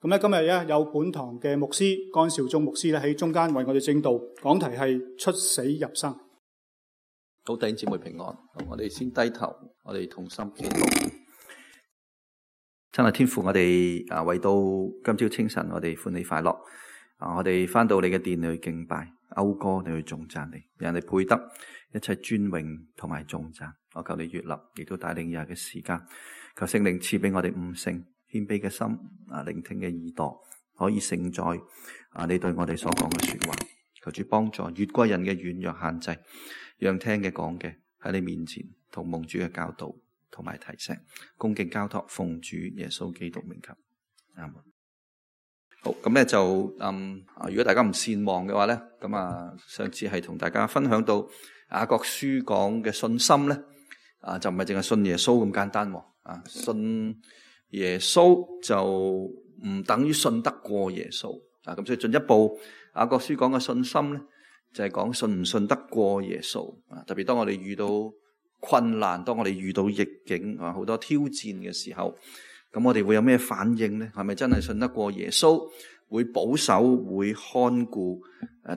咁今日咧有本堂嘅牧師甘紹忠牧師咧喺中間為我哋證道，講題係出死入生。好，弟兄姊妹平安。我哋先低頭，我哋同心祈禱。真係天父，我哋為到今朝清晨，我哋歡喜快樂。我哋翻到你嘅殿裏去敬拜、謳歌，你去頌讚你，讓你配得一切尊榮同埋頌讚。我求你悅納，亦都帶領日嘅時間，求聖靈賜俾我哋悟性、謙卑嘅心、聆聽嘅耳朵，可以承載你對我哋所講嘅說話。求主幫助越過人嘅軟弱限制，讓聽嘅講嘅喺你面前同蒙主嘅教導同埋提醒，恭敬交託，奉主耶穌基督名求，阿門。好，咁咧就如果大家唔善忘嘅話咧，咁上次係同大家分享到雅各書講嘅信心咧，就唔係淨係信耶穌咁簡單喎。信耶穌就唔等於信得過耶穌。咁所以進一步雅各書講嘅信心咧，就係講信唔信得過耶穌。特別當我哋遇到困難，當我哋遇到逆境好多挑戰嘅時候，咁我哋會有咩反應呢？係咪真係信得過耶穌？會保守，會看顧，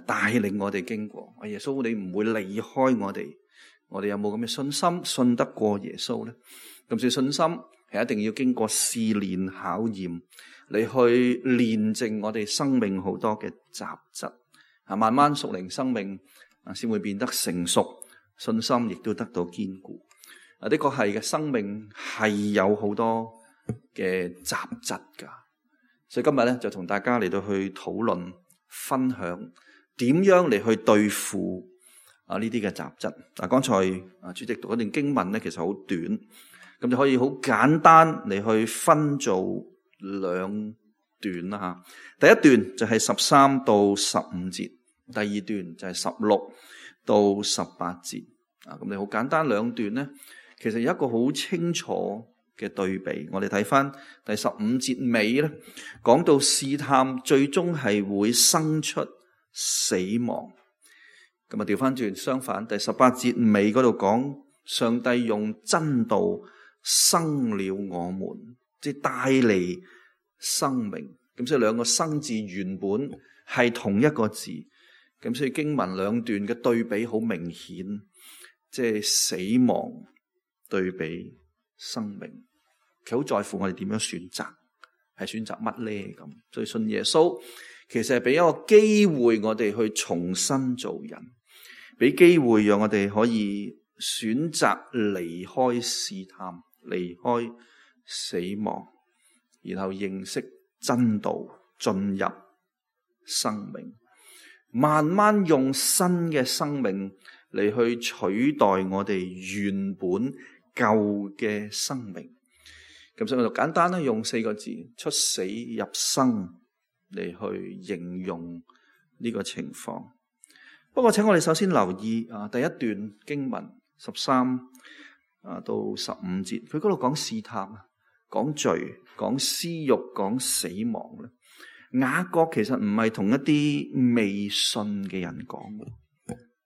帶領我哋經過？耶穌你唔會離開我哋，我哋有冇咁嘅信心，信得過耶穌呢？咁所以信心係一定要經過試煉考驗，嚟去煉淨我哋生命好多嘅雜質，慢慢屬靈生命先會變得成熟，信心亦都得到堅固。的確係嘅，生命係有好多嘅雜質噶，所以今日咧就同大家嚟到去討論分享點樣嚟去對付呢啲嘅雜質。剛才主席讀一段經文咧，其實好短，咁就可以好簡單嚟去分做兩段啦吓。第一段就係13到15節，第二段就係16到18節。咁你好簡單兩段咧，其實有一個好清楚嘅對比。我哋睇翻第15節尾咧，講到試探最終係會生出死亡。咁調翻轉相反，第18節尾嗰度講上帝用真道生了我們，即係帶嚟生命。咁所以兩個生字原本係同一個字。咁所以經文兩段嘅對比好明顯，即係死亡對比生命。佢好在乎我哋點樣選擇，係選擇乜呢？咁所以信耶穌其實係俾一個機會我哋去重新做人，俾機會讓我哋可以選擇離開試探，離開死亡，然後認識真道，進入生命，慢慢用新嘅生命嚟去取代我哋原本舊嘅生命。咁所以我就簡單咧用4個字出死入生嚟去形容呢個情況。不過請我哋首先留意第一段經文13到15節，佢嗰度講試探，講罪，講私欲，講死亡咧。雅各其實唔係同一啲未信嘅人講，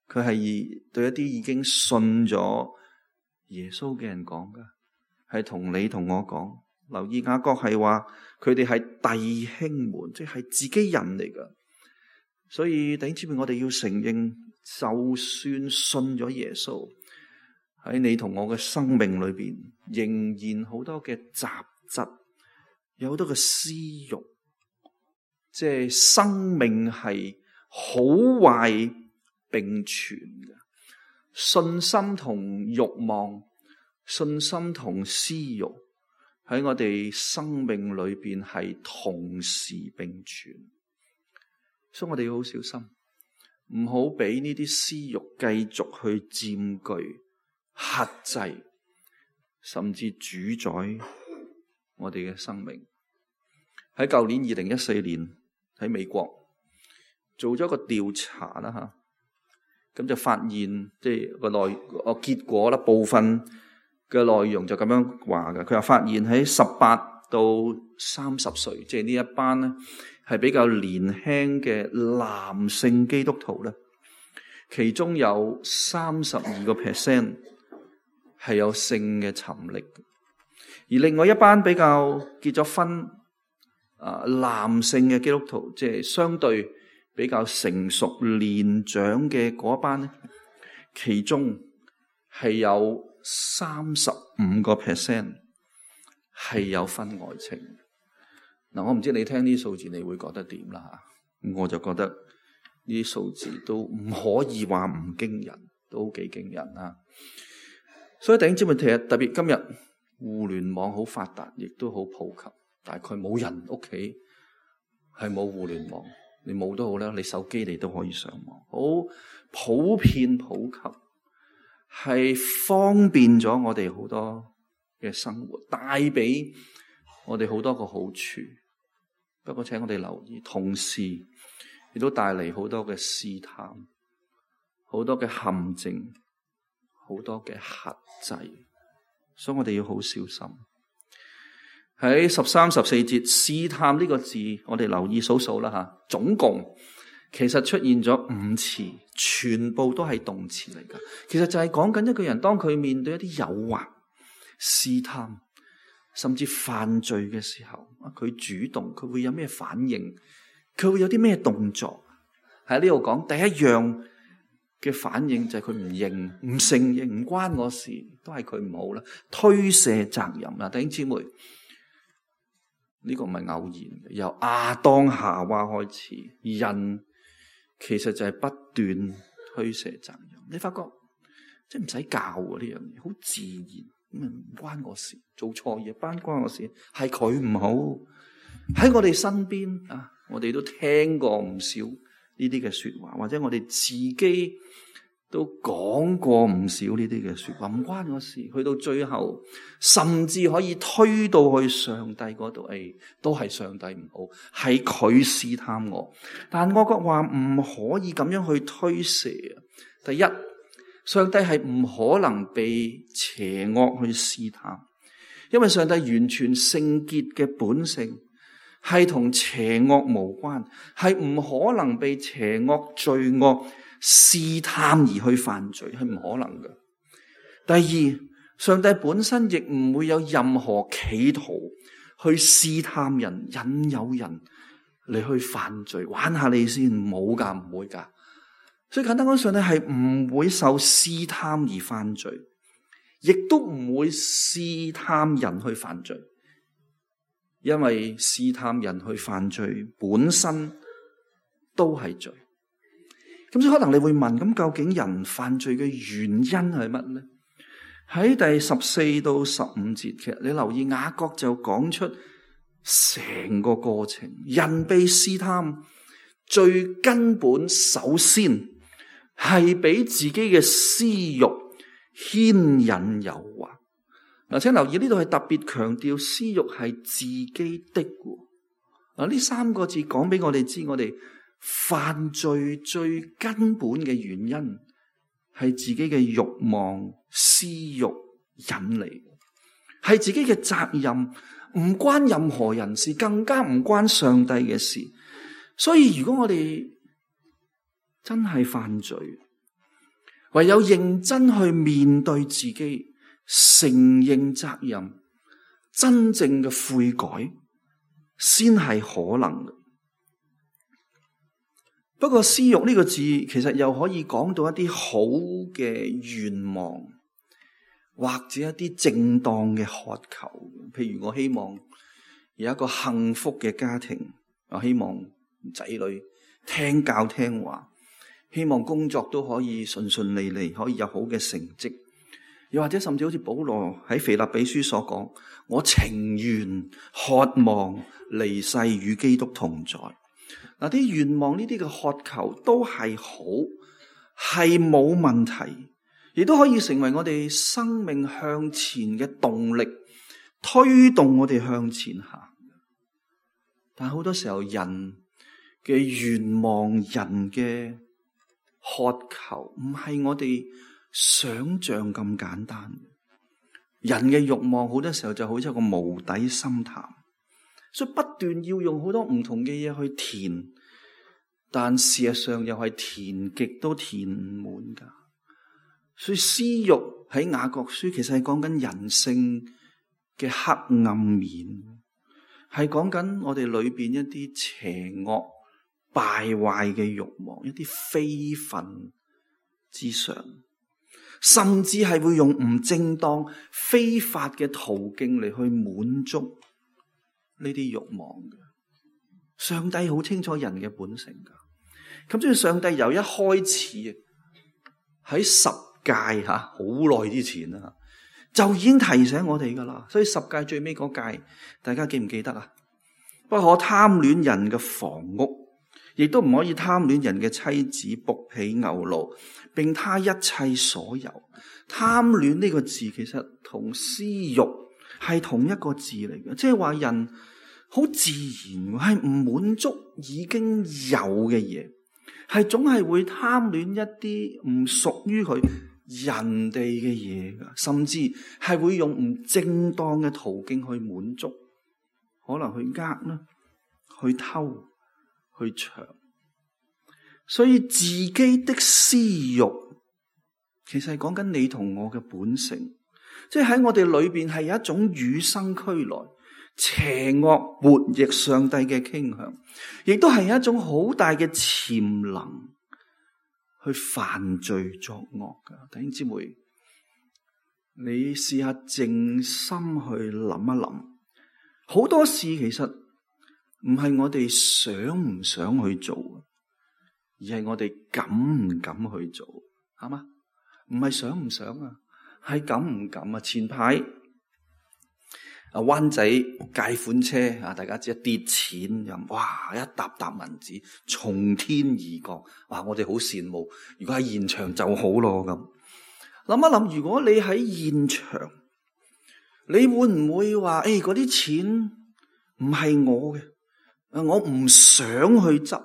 佢係對一啲已經信咗耶穌嘅人講噶，係同你同我講。留意雅各係話佢哋係弟兄們，即係自己人嚟噶。所以弟兄姊妹，我哋要承認，就算信咗耶穌，喺你同我嘅生命裏邊，仍然好多嘅雜質，有好多嘅私欲，即係生命係好壞並存嘅。信心同慾望，信心同私欲喺我哋生命裏邊係同時並存，所以我哋要好小心，唔好俾呢啲私欲繼續去佔據、克制，甚至主宰我哋嘅生命。喺舊年2014年喺美國做咗個調查啦吓，咁就發現即係個結果啦，部分嘅內容就咁樣話嘅。佢話發現喺18到30歲，即係呢一班咧係比較年輕嘅男性基督徒咧，其中有32% 係有性嘅沉溺，而另外一班比較結咗婚男性嘅基督徒，即係相對比較成熟年長嘅嗰班咧，其中係有35% 係有婚外情。嗱，我唔知你聽呢啲數字你會覺得點啦吓？我就覺得呢啲數字都唔可以話唔驚人，都幾驚人啊！所以弟兄姊妹，其實特別今日互聯網好發達，亦都好普及，大概冇人屋企係冇互聯網，你冇都好啦，你手機你都可以上網，好普遍普及，係方便咗我哋好多嘅生活，帶俾我哋好多個好處。不過請我哋留意，同時亦都帶嚟好多嘅試探，好多嘅陷阱，好多嘅轄制，所以我哋要好小心。喺13、14節試探呢個字，我哋留意數數啦吓，總共其實出現咗5次，全部都係動詞嚟噶。其實就係講緊一個人當佢面對一啲誘惑、試探，甚至犯罪嘅時候，佢主動，佢會有咩反應？佢會有啲咩動作？喺呢度講第一樣嘅反應就係佢唔認、唔承認、唔關我事，都係佢唔好啦，推卸責任啦。弟兄姊妹，呢個唔係偶然嘅，由亞當夏娃開始，人其實就係不斷推卸責任。你發覺即係唔使教呢樣嘢，好自然。唔關我事，做錯嘢關我事，係佢唔好。喺我哋身邊啊，我哋都聽過唔少呢啲嘅說話，或者我哋自己都講過唔少呢啲嘅說話，唔關我事。去到最後，甚至可以推到去上帝嗰度，都係上帝唔好，係佢試探我。但我覺話唔可以咁樣去推卸。第一，上帝係唔可能被邪惡去試探，因為上帝完全聖潔嘅本性係同邪惡無關，係唔可能被邪惡罪惡試探而去犯罪，係唔可能嘅。第二，上帝本身亦唔會有任何企圖去試探人、引誘人嚟去犯罪，玩下你先，冇噶，唔會噶。所以簡單講，上帝係唔會受試探而犯罪，亦都唔會試探人去犯罪，因為試探人去犯罪本身都係罪。咁所以可能你會問，咁究竟人犯罪嘅原因係乜呢？喺第14到15節，其實你留意雅各就講出成個過程，人被試探最根本，首先係俾自己嘅私欲牽引誘惑。嗱，請留意呢度係特別強調私欲係自己的。嗱，呢3個字講俾我哋知，我哋犯罪最根本嘅原因係自己嘅慾望、私欲引嚟，係自己嘅責任，唔關任何人事，更加唔關上帝嘅事。所以如果我哋真係犯罪，唯有認真去面對自己，承認責任，真正嘅悔改，先係可能嘅。不過私欲呢個字其實又可以講到一啲好嘅願望，或者一啲正當嘅渴求。譬如我希望有一個幸福嘅家庭，我希望仔女聽教聽話，希望工作都可以順順利利，可以有好嘅成績。又或者甚至好似保羅喺腓立比書所講，我情願渴望離世與基督同在。嗱，啲願望呢啲嘅渴求都係好，係冇問題，亦都可以成為我哋生命向前嘅動力，推動我哋向前行。但好多時候人嘅願望，人嘅渴求唔係我哋想象咁簡單。人嘅慾望好多時候就好似一個無底深潭，所以不斷要用好多唔同嘅嘢去填，但事實上又係填極都填唔滿噶。所以私欲喺雅各書其實係講緊人性嘅黑暗面，係講緊我哋裏邊一啲邪惡敗壞嘅慾望，一啲非分之想，甚至係會用唔正當非法嘅途徑嚟去滿足呢啲慾望嘅。上帝好清楚人嘅本性噶，咁所以上帝由一開始喺十誡好耐之前啦，就已經提醒我哋噶啦。所以十誡最尾嗰誡，大家記唔記得啊？不可貪戀人嘅房屋，亦都唔可以貪戀人嘅妻子、僕婢、牛驢，並他一切所有。貪戀呢個字其實同私欲係同一個字嚟嘅，即係話人好自然係唔滿足已經有嘅嘢，係總係會貪戀一啲唔屬於佢人哋嘅嘢噶，甚至係會用唔正當嘅途徑去滿足，可能去呃啦，去偷，去搶。所以自己的私欲，其實係講緊你同我嘅本性，即係喺我哋裏邊係有一種與生俱來邪惡悖逆上帝嘅傾向，亦都係一種好大嘅潛能去犯罪作惡噶。弟兄姊妹，你試下靜心去諗一諗，好多事其實唔係我哋想唔想去做，而係我哋敢唔敢去做，係嘛？唔係想唔想啊，係敢唔敢啊？前排灣仔借款車大家知一跌錢又哇，一沓沓銀紙從天而降，哇！我哋好羨慕，如果喺現場就好咯咁。諗一諗，如果你喺現場，你會唔會話嗰啲錢唔係我嘅，我唔想去執？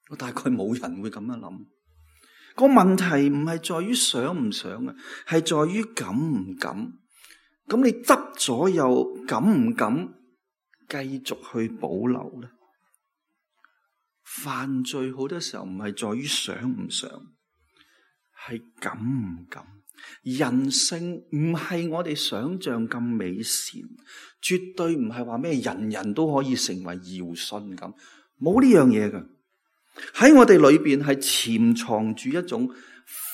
我大概冇人會咁樣諗。個問題唔係在於想唔想啊，係在於敢唔敢。咁你執咗又敢唔敢繼續去保留呢？犯罪好多時候唔係在於想唔想，係敢唔敢。人性唔係我哋想象咁美善，絕對唔係話咩人人都可以成為堯舜咁，冇呢樣嘢㗎。喺我哋裏邊係潛藏住一種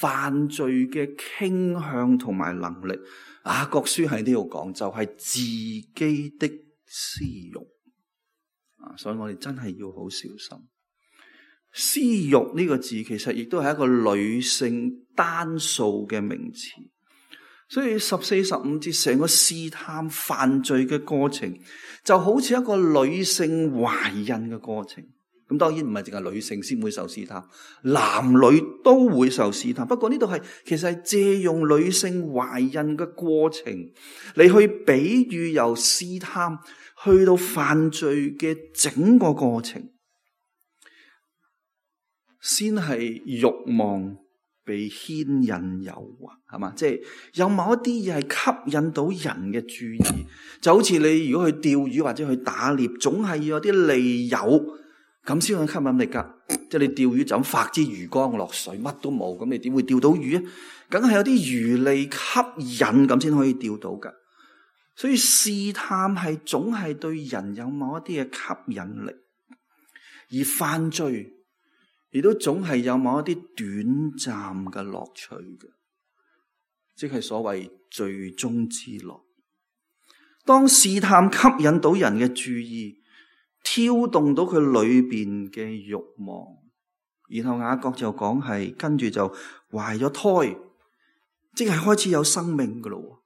犯罪嘅傾向同埋能力。雅各書喺呢度講就係自己的私欲，所以我哋真係要好小心。私欲呢個字其實亦都係一個女性單數嘅名詞，所以14、15節成個試探犯罪嘅過程就好似一個女性懷孕嘅過程。咁當然唔係淨係女性先會受試探，男女都會受試探。不過呢度其實係借用女性懷孕嘅過程嚟去比喻由試探去到犯罪嘅整個過程。先係慾望被牽引誘惑，係嘛？即係有某一啲嘢係吸引到人嘅注意，就好似你如果去釣魚或者去打獵，總係要有啲利誘。咁先有吸引力噶，即係你釣魚就咁發支魚竿落水，乜都冇，咁你點會釣到魚啊？梗係有啲魚利吸引咁先可以釣到噶。所以試探係總係對人有某一啲嘅吸引力，而犯罪亦都總係有某一啲短暫嘅樂趣嘅，即係所謂罪中之樂。當試探吸引到人嘅注意，挑動到佢裏邊嘅慾望，然後雅各就講係跟住就懷咗胎，即係開始有生命噶咯，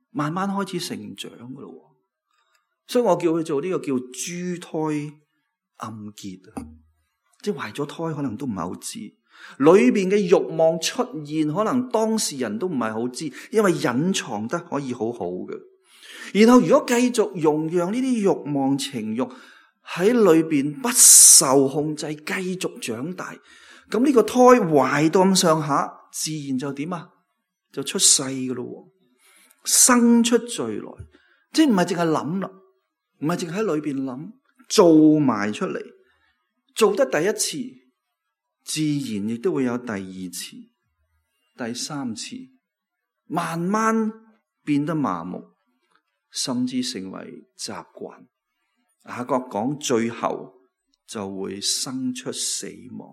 慢慢開始成長噶咯。所以我叫佢做呢個叫珠胎暗結啊，即係懷咗胎可能都唔係好知，裏邊嘅慾望出現，可能當事人都唔係好知，因為隱藏得可以好好嘅。然後如果繼續容讓呢啲慾望情慾喺裏邊不受控制，繼續長大，咁呢個胎懷到咁上下，自然就點啊？就出世噶咯，生出罪來，即係唔係淨係諗啦，唔係淨係喺裏邊諗，做埋出嚟，做得第一次，自然亦都會有第二次、第三次，慢慢變得麻木，甚至成為習慣。雅各講最後就會生出死亡。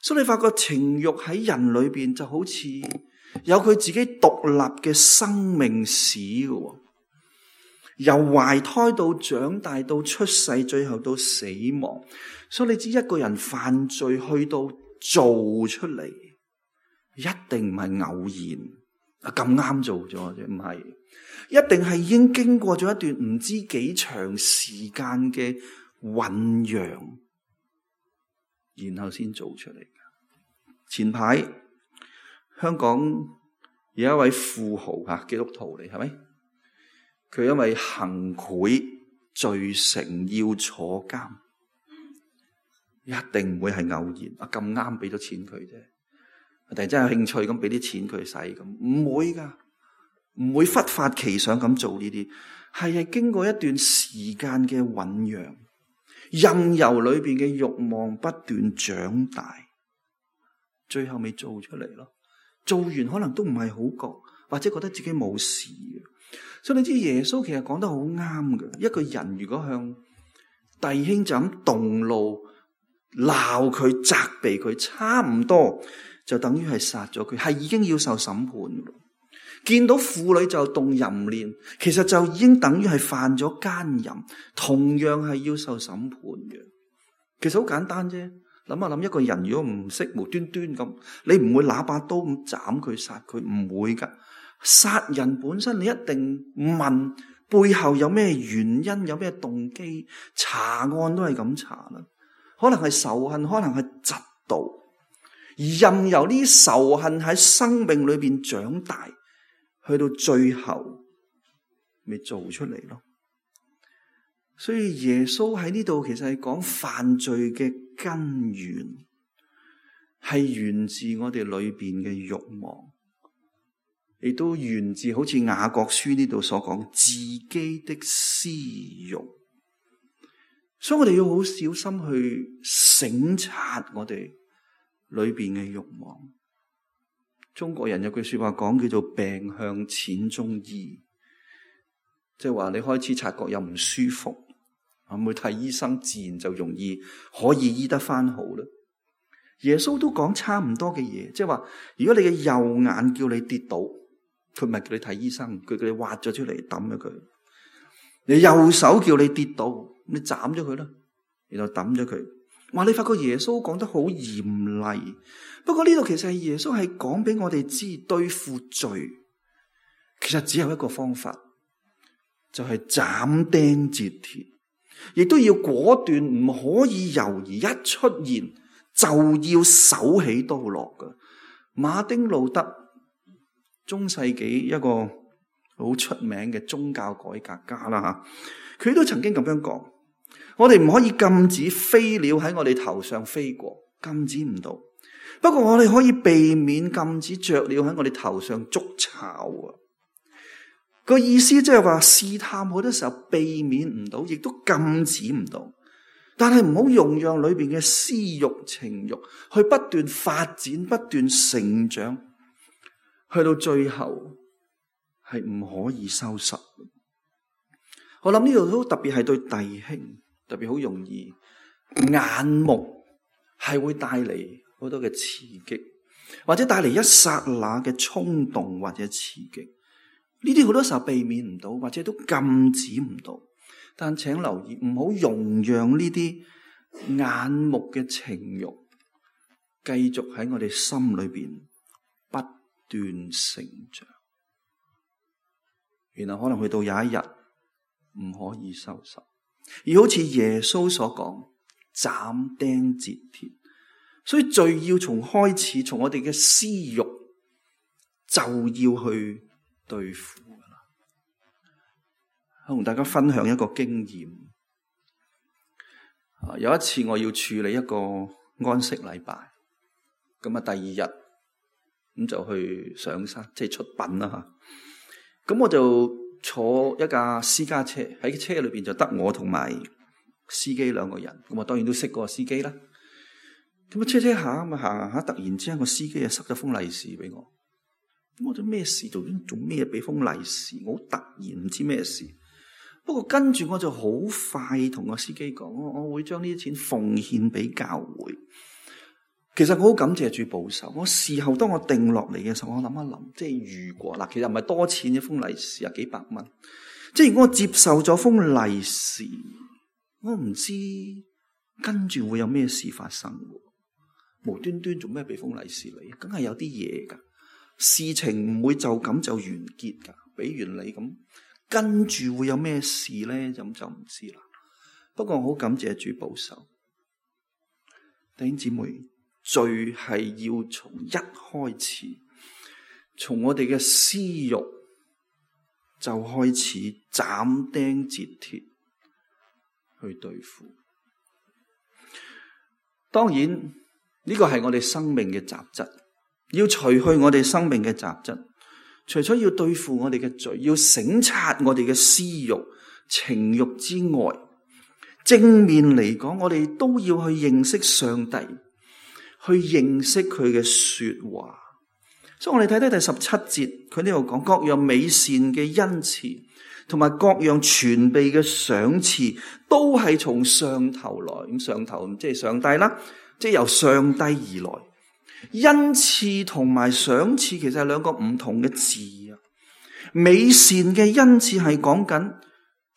所以你發覺情慾喺人裏邊就好似有佢自己獨立嘅生命史嘅，由懷胎到長大到出世，最後到死亡。所以你知一個人犯罪去到做出嚟，一定唔係偶然咁啱做咗啫，唔係，一定係已經經過咗一段唔知幾長時間嘅醞釀，然後先做出嚟。前排香港有一位富豪基督徒嚟，係咪？佢因為行賄罪成要坐監，一定唔會係偶然咁啱俾咗錢佢啫。突然真係有興趣咁俾啲錢佢使，咁唔會噶，唔會忽發奇想咁做呢啲，係經過一段時間嘅醞釀，任由裏邊嘅慾望不斷長大，最後咪做出嚟咯。做完可能都唔係好覺，或者覺得自己冇事嘅。所以你知耶穌其實講得好啱嘅，一個人如果向弟兄就咁動怒、鬧佢、責備佢，差唔多就等於係殺咗佢，係已經要受審判嘅。見到婦女就動淫念，其實就已經等於係犯咗奸淫，同樣係要受審判嘅。其實好簡單啫，諗下諗，一個人如果唔識無端端咁，你唔會拿把刀咁斬佢殺佢，唔會噶。殺人本身你一定問背後有咩原因，有咩動機，查案都係咁查啦。可能係仇恨，可能係嫉妒，而任由呢啲仇恨喺生命裏邊長大，去到最後咪做出嚟咯。所以耶穌喺呢度其實係講犯罪嘅根源，係源自我哋裏邊嘅慾望，亦都源自好似雅各書呢度所講自己的私慾。所以我哋要好小心去省察我哋裏邊嘅慾望。中國人有句說話講叫做病向淺中醫，即係話你開始察覺有唔舒服，去睇醫生，自然就容易可以醫得翻好啦。耶穌都講差唔多嘅嘢，即係話如果你嘅右眼叫你跌倒，佢唔係叫你睇醫生，佢叫你挖咗出嚟抌咗佢。你右手叫你跌倒，你斬咗佢啦，然後抌咗佢。話你發覺耶穌講得好嚴厲，不過呢度其實係耶穌係講俾我哋知，對付罪其實只有一個方法，就係斬釘截鐵，亦都要果斷，唔可以猶豫，一出現就要手起刀落㗎。馬丁路德，中世紀一個好出名嘅宗教改革家啦，佢都曾經咁樣講。我哋唔可以禁止飛鳥喺我哋頭上飛過，禁止唔到。不過我哋可以避免禁止雀鳥喺我哋頭上築巢啊。個意思即係話試探好多時候避免唔到，亦都禁止唔到。但係唔好容讓裏邊嘅私慾情慾去不斷發展、不斷成長，去到最後係唔可以收拾。我諗呢度都特別係對弟兄。特別好容易，眼目係會帶嚟好多嘅刺激，或者帶嚟一剎那嘅衝動或者刺激。呢啲好多時候避免唔到，或者都禁止唔到。但請留意，唔好容讓呢啲眼目嘅情慾繼續喺我哋心裏邊不斷成長，然後可能去到有一日唔可以收拾。而好似耶穌所講，斬釘截鐵，所以罪要從開始，從我哋嘅私慾就要去對付噶啦。我同大家分享一個經驗。有一次我要處理一個安息禮拜，咁第二日咁就去上山，即係出殯啦吓。咁我就坐一架私家車，喺車裏邊就得我同埋司機兩個人，咁我當然都識嗰個司機啦。咁車下咁行下，突然之間個司機就塞咗封利是俾我，我做咩事？做咩俾封利是？我好突然唔知咩事。不過跟住我就好快同個司機講，我會將呢啲錢奉獻俾教會。其實我好感謝主保守。我事後當我定落嚟嘅時候，我諗一諗，即係如果嗱，其實唔係多錢一封利是啊，幾百蚊。即係如果我接受咗封利是，我唔知跟住會有咩事發生。無端端做咩俾封利是你？梗係有啲嘢噶，事情唔會就咁就完結噶。俾完你咁，跟住會有咩事咧？就唔知啦。不過我好感謝主保守。弟兄姊妹，罪係要從一開始，從我哋嘅私欲就開始斬釘截鐵去對付。當然呢個係我哋生命嘅雜質，要除去我哋生命嘅雜質，除咗要對付我哋嘅罪，要省察我哋嘅私欲情欲之外，正面嚟講，我哋都要去認識上帝，去認識佢嘅說話。所以我哋睇睇第17節，佢呢度講各樣美善嘅恩賜同埋各樣全備嘅賞賜，都係從上頭來。咁上頭即係上帝啦，即係由上帝而來。恩賜同埋賞賜其實係兩個唔同嘅字啊。美善嘅恩賜係講緊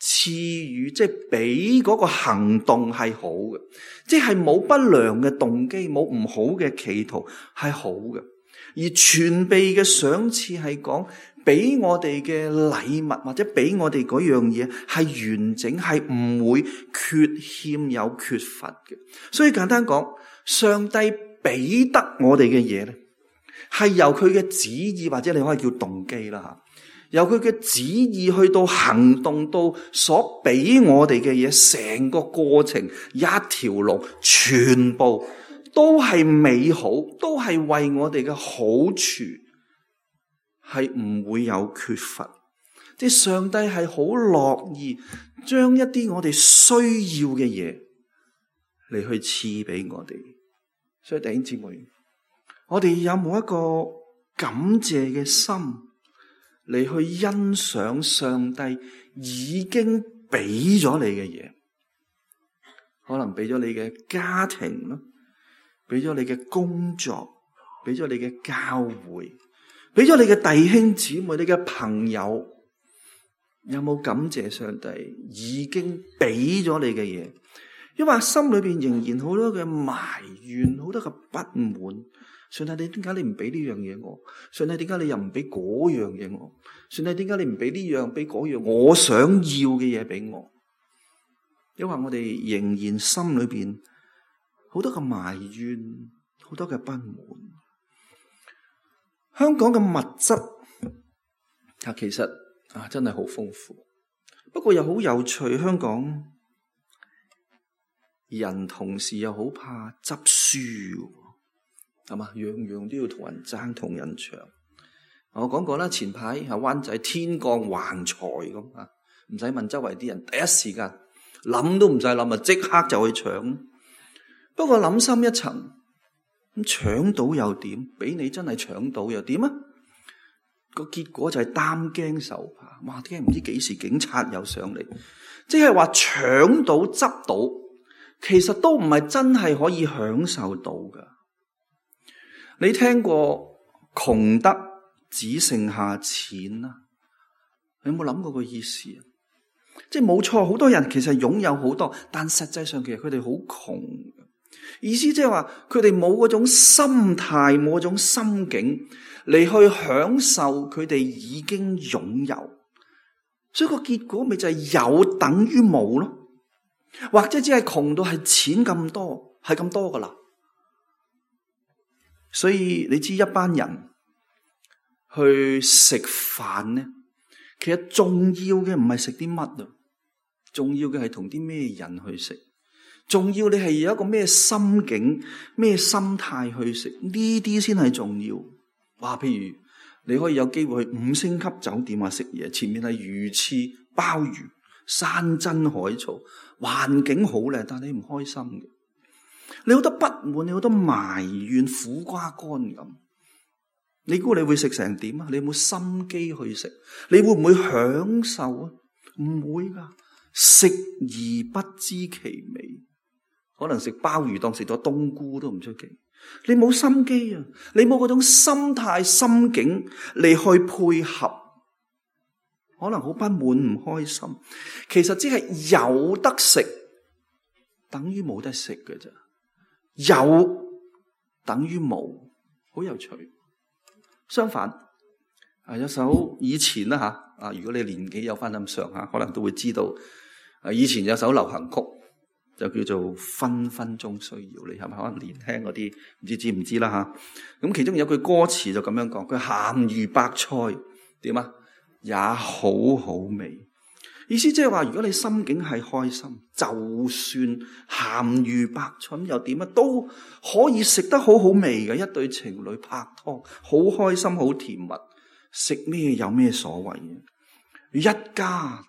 賜予，即係俾嗰個行動係好嘅，即係冇不良嘅動機，冇唔好嘅企圖，係好嘅。而全備嘅賞賜係講俾我哋嘅禮物或者俾我哋嗰樣嘢係完整，係唔會缺欠有缺乏嘅。所以簡單講，上帝俾得我哋嘅嘢咧，係由佢嘅旨意或者你可以叫動機啦吓，由佢嘅旨意去到行動到所俾我哋嘅嘢，成個過程一條龍，全部都係美好，都係為我哋嘅好處，係唔會有缺乏。即係上帝係好樂意將一啲我哋需要嘅嘢嚟去賜俾我哋。所以弟兄姊妹，我哋有冇一個感謝嘅心嚟去欣賞上帝已經俾咗你嘅嘢？可能俾咗你嘅家庭啦，俾咗你嘅工作，俾咗你嘅教會，俾咗你嘅弟兄姊妹，你嘅朋友，有冇感謝上帝已經俾咗你嘅嘢？因為心裏邊仍然好多嘅埋怨，好多嘅不滿。上帝，你點解你唔俾呢樣嘢我？上帝，點解你又唔俾嗰樣嘢我？上帝，點解你唔俾呢樣俾嗰樣我想要嘅嘢俾我？因為我哋仍然心裏邊好多嘅埋怨，好多嘅不滿。香港嘅物質其實真係好豐富，不過又好有趣。香港人同時又好怕執輸，係嘛？樣樣都要同人爭，同人搶。我講過啦，前排灣仔天降橫財咁啊，唔使問周圍啲人，第一時間諗都唔使諗啊，即刻就去搶。不過諗深一層，咁搶到又點？俾你真係搶到又點啊？個結果就係擔驚受怕。哇！點解唔知幾時警察又上嚟？即係話搶到執到，其實都唔係真係可以享受到噶。你聽過窮得只剩下錢啊？你有冇諗過個意思啊？即係冇錯，好多人其實擁有好多，但實際上其實佢哋好窮。意思即係話佢哋冇嗰種心態，冇嗰種心境嚟去享受佢哋已經擁有，所以個結果咪就係有等於冇咯，或者只係窮到係錢咁多，係咁多噶啦。所以你知一班人去食飯呢，其實重要嘅唔係食啲乜啊，重要嘅係同啲咩人去食。重要你係有一個咩心境、咩心態去食，呢啲先係重要。哇！譬如你可以有機會去5星級酒店食嘢，前面係魚翅、鮑魚、山珍海草，環境好靚，但你唔開心嘅，你好多不滿，你好多埋怨，苦瓜乾咁。你估你會食成點啊？你有冇心機去食？你會唔會享受啊？唔會噶，食而不知其味，可能食鮑魚當食咗冬菇都唔出奇。你冇心機啊，你冇嗰種心態心境嚟去配合，可能好不滿唔開心。其實只係有得食等於冇得食嘅啫，有等於冇，好有趣。相反，有首以前啦吓，如果你年紀有翻咁上下，可能都會知道，以前有首流行曲就叫做《分分鐘需要你》，係咪？可能年輕嗰啲唔知知唔知啦吓。咁其中有句歌詞就咁樣講，佢鹹如白菜，點啊？也好好味。意思即係話，如果你心境係開心，就算鹹如白菜又點啊，都可以食得好好味嘅。一對情侶拍拖，好開心，好甜蜜，食咩有咩所謂嘅？一家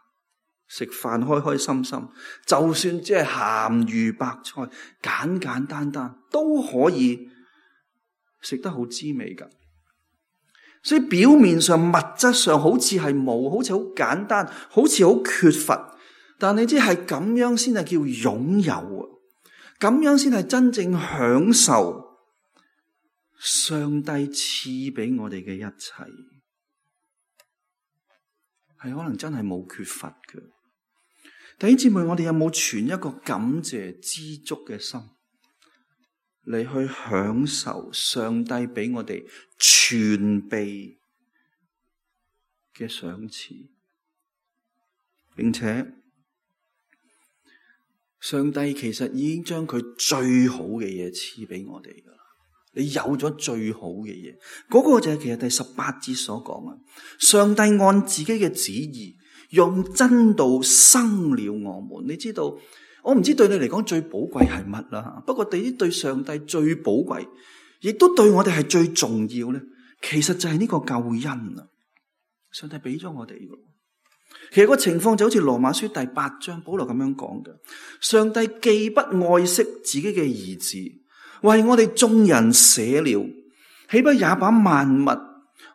食飯開開心心，就算只係鹹如白菜，簡簡單單都可以食得好滋味噶。所以表面上物質上好似係冇，好似好簡單，好似好缺乏，但你知係咁樣先係叫擁有啊！咁樣先係真正享受上帝賜俾我哋嘅一切，係可能真係冇缺乏嘅。弟兄姊妹，我哋有冇存一個感謝知足嘅心嚟去享受上帝俾我哋全備嘅賞賜，並且上帝其實已經將佢最好嘅嘢賜俾我哋噶啦。你有咗最好嘅嘢，嗰個就係其實第18節所講啊。上帝按自己嘅旨意，用真道生了我們。你知道？我唔知對你嚟講最寶貴係乜啦，不過對上帝最寶貴，亦都對我哋係最重要咧。其實就係呢個救恩啊！上帝俾咗我哋嘅。其實個情況就好似羅馬書第8章保羅咁樣講嘅：上帝既不愛惜自己嘅兒子，為我哋眾人捨了，豈不也把萬物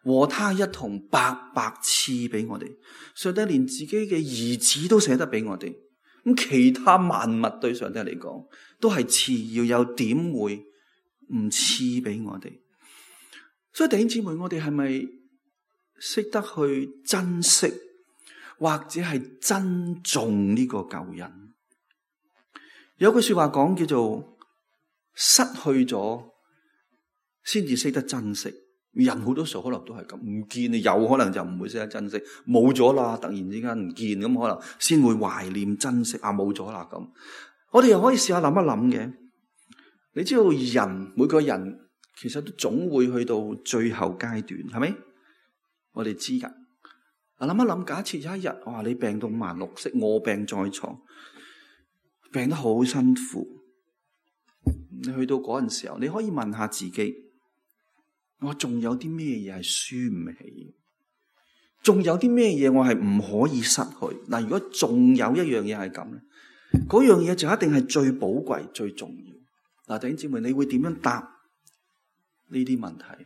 和他一同白白賜俾我哋？上帝連自己嘅兒子都捨得俾我哋。咁其他萬物對上帝嚟講都係次要，又點會唔賜俾我哋？所以弟兄姊妹，我哋係咪識得去珍惜，或者係珍重呢個救恩？有句說話講叫做失去咗先至識得珍惜。人好多時候可能都係咁，唔見你有可能就唔會識得珍惜，冇咗啦，突然之間唔見，咁可能先會懷念珍惜啊，冇咗啦咁。我哋又可以試下諗一諗嘅。你知道人每個人其實都總會去到最後階段，係咪？我哋知噶。諗一諗，假設有一日，哇，你病到5顏6色，臥病在床，病得好辛苦，你去到嗰陣時候，你可以問下自己。我仲有啲咩嘢係輸唔起？仲有啲咩嘢我係唔可以失去？嗱，如果仲有一樣嘢係咁咧，嗰樣嘢就一定係最寶貴、最重要。嗱，弟兄姊妹，你會點樣答呢啲問題？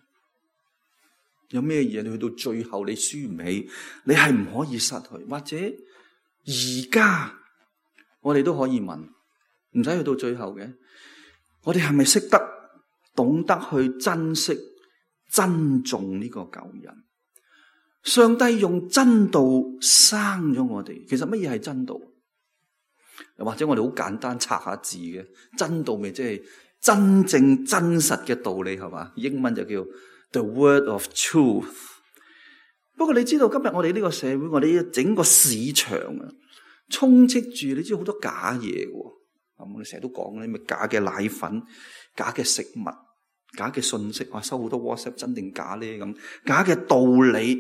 有咩嘢你去到最後你輸唔起，你係唔可以失去？或者而家我哋都可以問，唔使去到最後嘅，我哋係咪識得懂得去珍惜？珍重呢個救恩，上帝用真道生咗我哋。其實乜嘢係真道？或者我哋好簡單拆下字嘅真道，咪即係真正真實嘅道理，係嘛？英文就叫 The Word of Truth。不過你知道今日我哋呢個社會，我哋整個市場啊，充斥住你知道好多假嘢嘅。我哋成日都講咧，咪假嘅奶粉、假嘅食物。假嘅信息，收好多 WhatsApp 真定假咧咁，假嘅道理，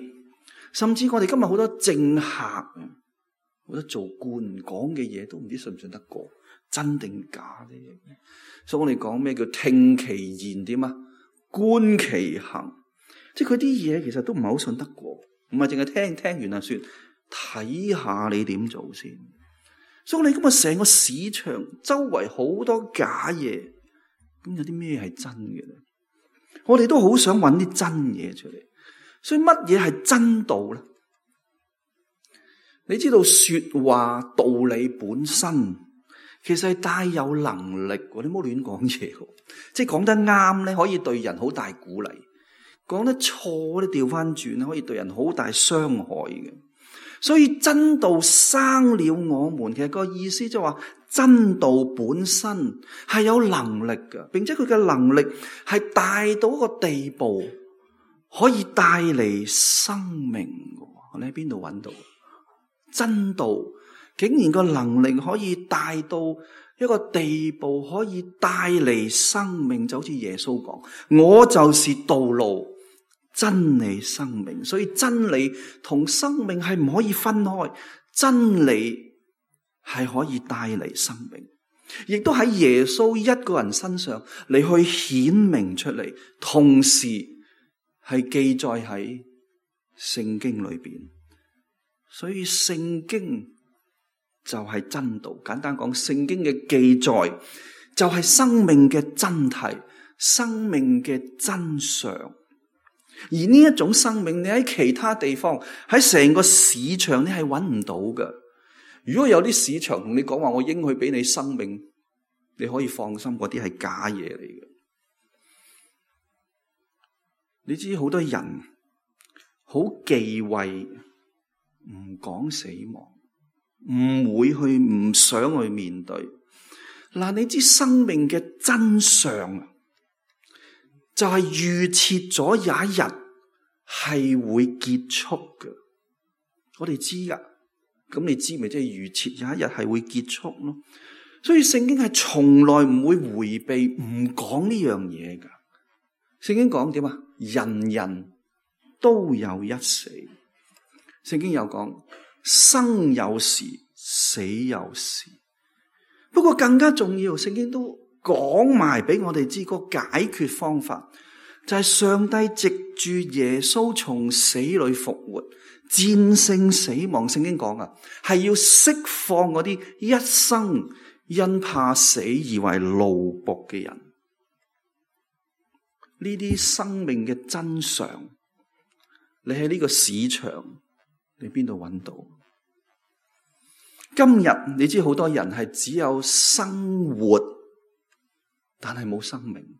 甚至我哋今日好多政客，好多做官講嘅嘢都唔知信唔信得過，真定假咧？所以我哋講咩叫聽其言點啊，觀其行，即係佢啲嘢其實都唔係好信得過，唔係淨係聽完就算，睇下你點做先。所以我哋今日成個市場周圍好多假嘢。咁有啲咩係真嘅咧？我哋都好想揾啲真嘢出嚟。所以乜嘢係真道咧？你知道說話道理本身其實係帶有能力嘅，你唔好亂講嘢。即係講得啱咧，可以對人好大鼓勵；講得錯咧，調翻轉咧，可以對人好大傷害嘅。所以真道生了我們，其實個意思就係話真道本身係有能力嘅，並且佢嘅能力係大到一個地步，可以帶嚟生命嘅。你喺邊度揾到？真道竟然個能力可以大到一個地步，可以帶嚟生命，就好似耶穌講：我就是道路、真理、生命。所以真理同生命係唔可以分開，真理係可以帶嚟生命，亦都喺耶穌一個人身上嚟去顯明出嚟，同時係記載喺聖經裏邊。所以聖經就係真道，簡單講，聖經嘅記載就係生命嘅真諦，生命嘅真相。而呢一種生命，你喺其他地方，喺成個市場，你係揾唔到嘅。如果有啲市場同你講話，我應許俾你生命，你可以放心，嗰啲係假嘢嚟嘅。你知好多人好忌諱，唔講死亡，唔會去，唔想去面對。嗱，你知生命嘅真相就係預設咗有一日係會結束嘅。我哋知噶，咁你知咪即係預設有一日係會結束咯？所以聖經係從來唔會回避，唔講呢樣嘢噶。聖經講點啊？人人都有一死。聖經有講生有時，死有時。不過更加重要，聖經都講埋俾我哋知個解決方法，就係上帝藉住耶穌從死裏復活，戰勝死亡。聖經講啊，係要釋放嗰啲一生因怕死而為奴僕嘅人。呢啲生命嘅真相，你喺呢個市場，你邊度揾到？今日你知好多人係只有生活，但係冇生命，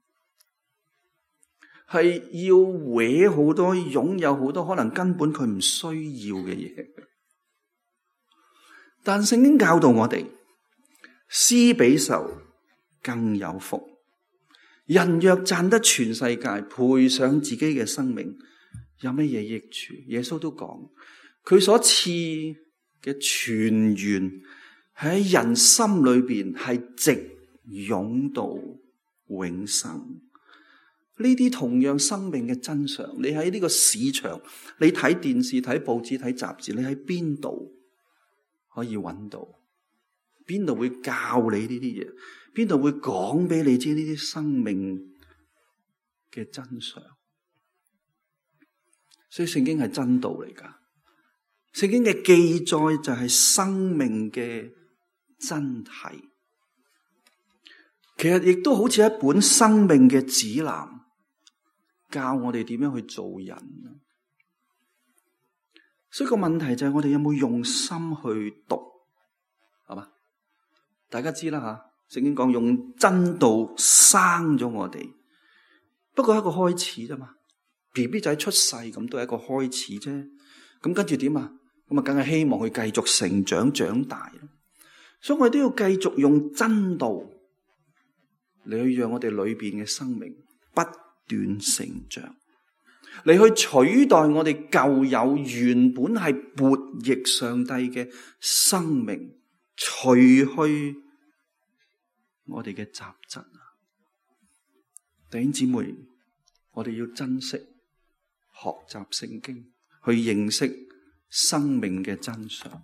係要搲好多，擁有好多可能根本佢唔需要嘅嘢。但聖經教導我哋，施比受更有福。人若賺得全世界，賠上自己嘅生命，有乜嘢益處？耶穌都講，佢所賜嘅泉源喺人心裏邊係直湧到永生。呢啲同樣生命嘅真相，你喺呢個市場，你睇電視、睇報紙、睇雜誌，你喺邊度可以揾到？邊度會教你呢啲嘢？邊度會講俾你知呢啲生命嘅真相？所以聖經係真道嚟噶，聖經嘅記載就係生命嘅真諦。其實亦都好似一本生命嘅指南，教我哋點樣去做人。所以個問題就係我哋有冇用心去讀，係嘛？大家知啦吓，聖經講用真道生咗我哋，不過係一個開始啫嘛。BB 仔出世咁都係一個開始啫。咁跟住點啊？咁啊，梗係希望佢繼續成長長大。所以我哋都要繼續用真道嚟去讓我哋裏邊嘅生命不斷成長，嚟去取代我哋舊有原本係悖逆上帝嘅生命，除去我哋嘅雜質啊！弟兄姊妹，我哋要珍惜學習聖經，去認識生命嘅真相。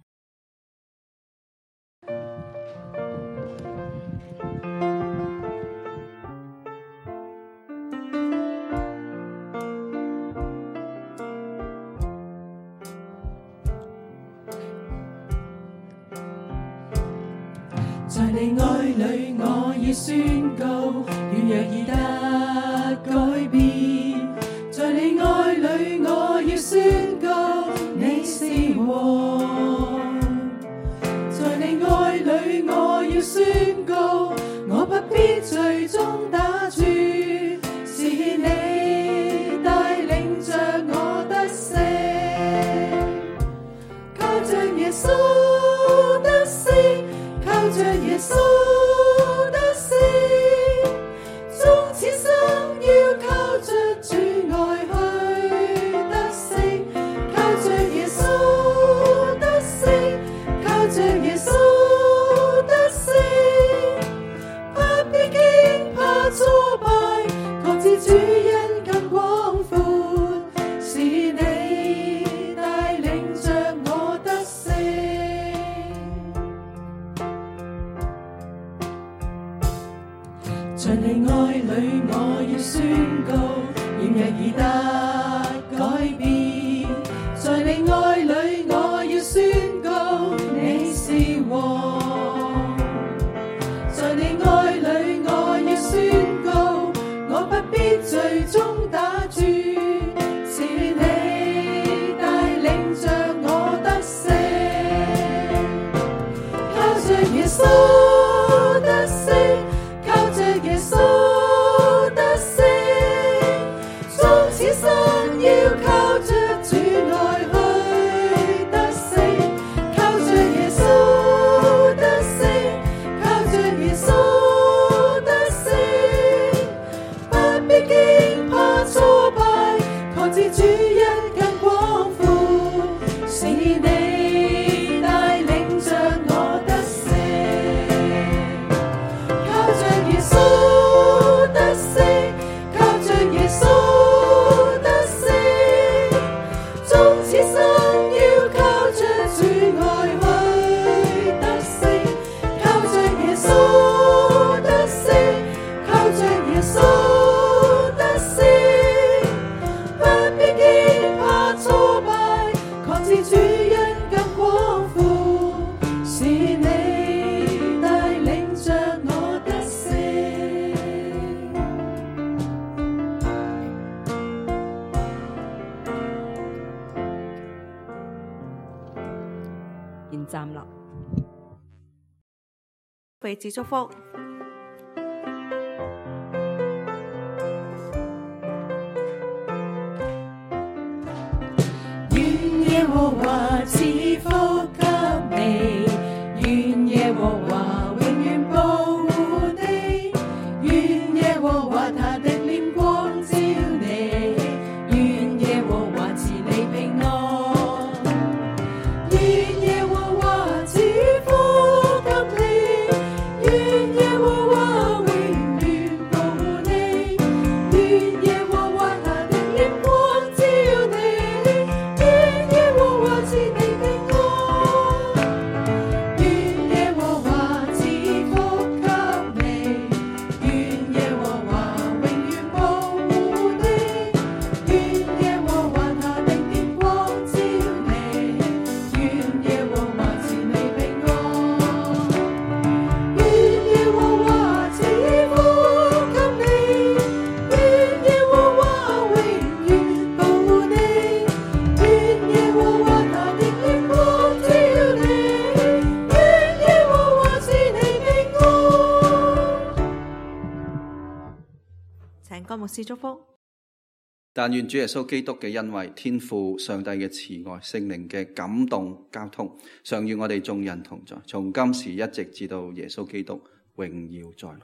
在你愛裏，我已宣告，軟弱已得改變。在你愛裏我要宣告，現日已得改變。在你愛裏我要宣告，你是王。在你愛裏我要宣告，我不必最終打轉，是你帶領着我得勝。靠着耶穌得勝，靠着耶穌得勝，終此生要靠着主愛去得勝。靠着耶穌得勝，靠着耶穌得勝，不必驚怕挫敗，確知主恩更廣闊，是你帶領着我得勝。靠着耶穌得勝，靠着耶穌得勝，終此生要靠着主愛去得勝。靠着耶穌得勝，靠着耶穌得勝，不必驚怕挫敗，確知主恩更廣闊，是你帶領着我得勝。現站立，彼此祝福。願耶和華賜福給你，願耶和華永遠保護你，願耶和華他的臉光照你，願耶和華賜你平安，願耶和華賜福給你，願耶和華永遠保護你，願耶和華他的臉光照你，願耶和華賜你平安，願耶和華賜福給你，願耶和華永遠保護你，願耶和華他的臉光照你，願耶和華賜你平安，願耶和華賜福給你，願耶和華永遠保護你，願耶和華他的臉光照你，願耶和華賜你平安。請郭牧師祝福。但願主耶穌基督嘅恩惠、天父上帝嘅慈愛、聖靈嘅感動交通，常與我哋眾人同在，從今時一直至到耶穌基督榮耀再來。